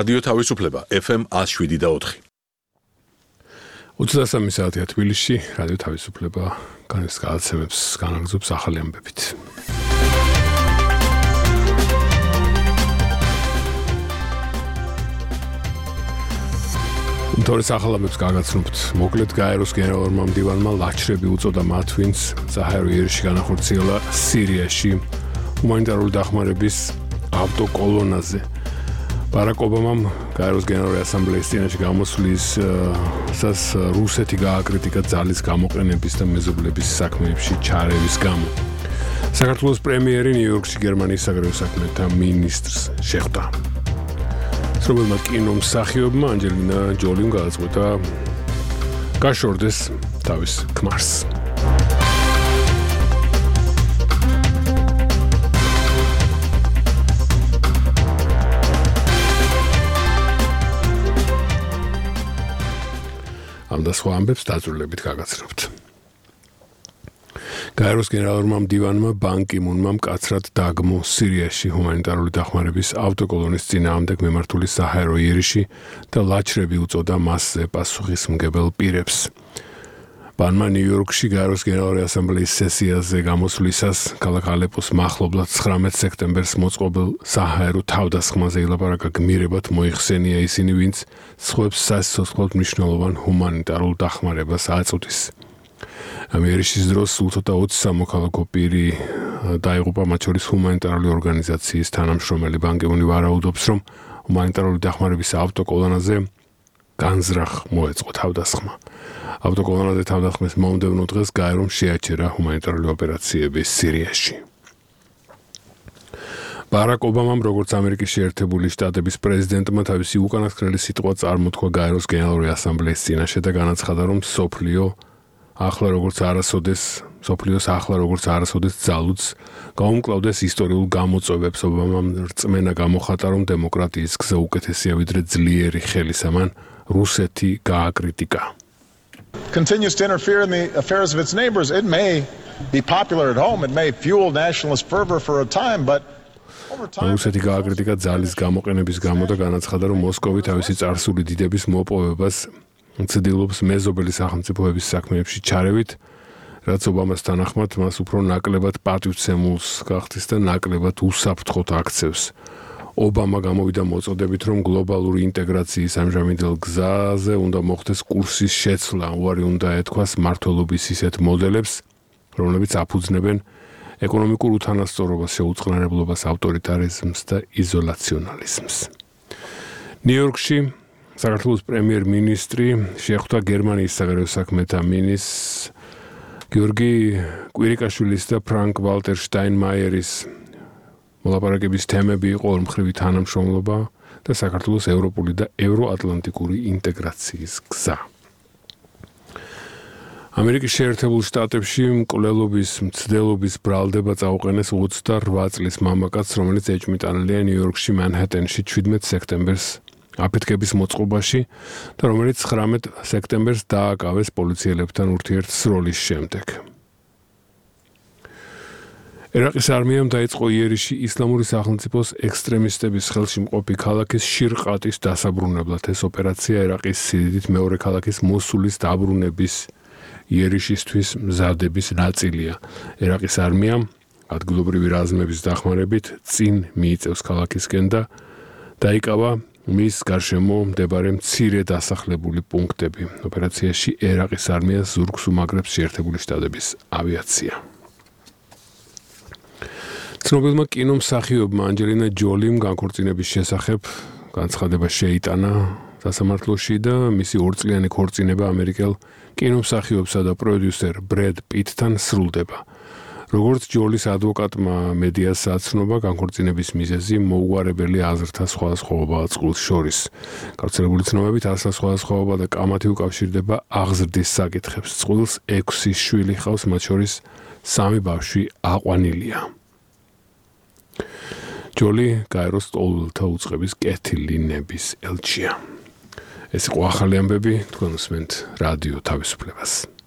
რადიო თავისუფლება FM 107.4. 23 საათია თბილისში, რადიო თავისუფლება განსაკუთრებებს განაგზობს ახალი ამბებით. თორეს ახალ ამბებს გაგაცნობთ. მოკლედ გაეროს გენერალურმა მდივანმა ლაჩრები უწოდა მათ, ვინც საჰაერო იერიში განახორციელა სირიაში ჰუმანიტარული დახმარების ავტოკოლონაზე. ბარაკ ობამამ გაეროს გენერალური ასამბლეის წინაშე გამოსვლის რუსეთი გააკრიტიკა ძალის გამოყენების და მეზობლების საქმეებში ჩარევის გამო. საქართველოს პრემიერი ნიუ-იორკში გერმანიის საგარეო საქმეთა მინისტრს შეხვდა. ცნობილმა კინომსახიობმა ანჯელინა ჯოლიმ გადაწყვიტა გაშორდეს თავის ქმარს. ამ და სხვა ამბებს დაწვრილებით გაგაცნობთ. გაეროს გენერალურმა მდივანმა ბან კი მუნმა მკაცრად დაგმო სირიაში ჰუმანიტარული დახმარების ავტოკოლონის წინააღმდეგ მიმართული საჰაერო იერიში და ლაჩრები უწოდა მასზე პასუხისმგებელ პირებს. ბანმა ნიუ-იორკში გაეროს გენერალური ასამბლეის სესიაზე გამოსვლისას ქალაქ ალეპოს მახლობლად 19 სექტემბერს მოწყობილ საჰაერო თავდასხმაზე ილაპარაკა გმირებად მოიხსენია ისინი, ვინც სხვებს სასიცოცხლოდ მნიშვნელოვან ჰუმანიტარულ დახმარებას აწვდის. ამ იერიშის დროს უცოტა 20 სამოქალაქო პირი დაიღუპა, მათ შორის ჰუმანიტარული ორგანიზაციის თანამშრომელი. ბან კი მუნი ვარაუდობს, რომ ჰუმანიტარული დახმარების ავტოკოლონაზე განზრახ მოეწყო თავდასხმა. ავტოკოლონაზე თავდასხმის მომდევნო დღეს გაერომ შეაჩერა ჰუმანიტარული ოპერაციები სირიაში. ბარაკ ობამამ, როგორც ამერიკის შეერთებული შტატების პრეზიდენტმა, თავისი უკანასკნელი სიტყვა წარმოთქვა გაეროს გენერალური ასამბლეის წინაშე და განაცხადა, რომ სოფლიოს ახლა როგორც არასოდეს ძალუძს გაუმკლავდეს ისტორიულ გამოწვევებს. ობამამ რწმენა გამოხატა, რომ დემოკრატიის გზა უკეთესია ვიდრე ძლიერი ხელისამან რუსეთი გააკრიტიკა. Continues to interfere in the affairs of its neighbors. It may be popular at home, it may fuel nationalist fervor for a time, but over time რუსეთი გააკრიტიკა ძალის გამოყენების გამო და განაცხადა, რომ მოსკოვი თავისი წარსული დიდების მოპოვებას ცდილობს მეზობელი სახელმწიფოების საქმეებში ჩარევით, რაც ობამას თანახმად მას უფრო ნაკლებად პატივცემულს გახდის და ნაკლებად უსაფრთხოდ აქცევს. ობამა გამოვიდა მოწოდებით, რომ გლობალური ინტეგრაციის ამჟამინდელ გზაზე უნდა მოხდეს კურსის შეცვლა. უარი უნდა ეთქვას მმართველობის ისეთ მოდელებს, რომლებიც აფუძნებენ ეკონომიკურ უთანასწორობას, შეუწყნარებლობას, ავტორიტარიზმს და იზოლაციონალიზმს. ნიუ-იორკში საქართველოს პრემიერ-მინისტრი შეხვდა გერმანიის საგარეო საქმეთა მინისტრს გიორგი კვირიკაშვილის და ფრანკ ვალტერ შტაინმაიერის. მოლაპარაკების თემები იყო ორმხრივი თანამშრომლობა და საქართველოს ევროპული და ევროატლანტიკური ინტეგრაციის გზა. ამერიკის შეერთებულ შტატებში მკვლელობის მცდელობის ბრალდება წაუყენეს 28 წლის მამაკაცს, რომელიც ეჭვმიტანილია ნიუ-იორკში მანჰეტენში 17 სექტემბერს აფეთქების მოწყობაში და რომელიც 19 სექტემბერს დააკავეს პოლიციელებთან ურთიერთსროლის შემდეგ. ერაყის არმიამ დაიწყო იერიში ისლამური სახელმწიფოს ექსტრემისტების ხელში მყოფი ქალაქის შირყატის დასაბრუნებლად. ეს ოპერაცია ერაყის სიდიდით მეორე ქალაქის მოსულის დაბრუნების იერიშისთვის მზადების ნაწილია. ერაყის არმიამ ადგილობრივი რაზმების დახმარებით წინ მიიწევს ქალაქისკენ და დაიკავა მის გარშემო მდებარე მცირე დასახლებული პუნქტები. ოპერაციაში ერაყის არმიას ზურგს უმაგრებს შეერთებული შტატების ავიაცია. ცნობილმა კინომსახიობმა ანჯელინა ჯოლიმ განქორწინების შესახებ განცხადება შეიტანა სასამართლოში და მისი 2 წლიანი ქორწინება ამერიკელ კინომსახიობსა და პროდიუსერ ბრედ პიტთან სრულდება. როგორც ჯოლის ადვოკატმა მედიას აცნობა, განქორწინების მიზეზი მოუგვარებელი აზრთა სხვადასხვაობაა წყვილს შორის. გავრცელებული ცნობებით ასა სხვადასხვაობა და კამათი უკავშირდება აღზრდის საკითხებს. წყვილს 6 შვილი ჰყავს, მათ შორის 3 ბავშვი აყვანილია. ჯოლი გაეროს ტოლთა უწყების კეთილინების ელჩია. ეს იყო ახალი ამბები, თქვენ უსმენთ რადიო თავისუფლებას.